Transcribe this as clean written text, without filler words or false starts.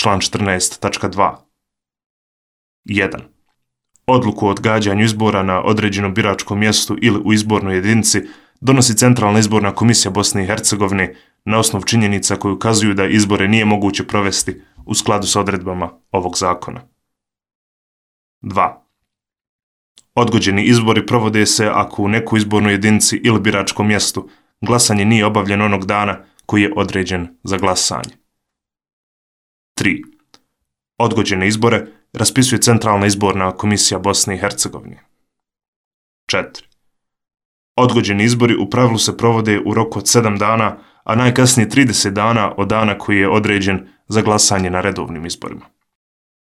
član 14.2. 1. Odluku o odgađanju izbora na određenom biračkom mjestu ili u izbornoj jedinici donosi Centralna izborna komisija Bosne i Hercegovine na osnovu činjenica koje ukazuju da izbore nije moguće provesti u skladu sa odredbama ovog zakona. 2. Odgođeni izbori provode se ako u nekoj izbornoj jedinici ili biračkom mjestu glasanje nije obavljeno onog dana koji je određen za glasanje. 3. Odgođene izbore raspisuje Centralna izborna komisija Bosne i Hercegovine. 4. Odgođeni izbori u pravilu se provode u roku od 7 dana, a najkasnije 30 dana od dana koji je određen za glasanje na redovnim izborima.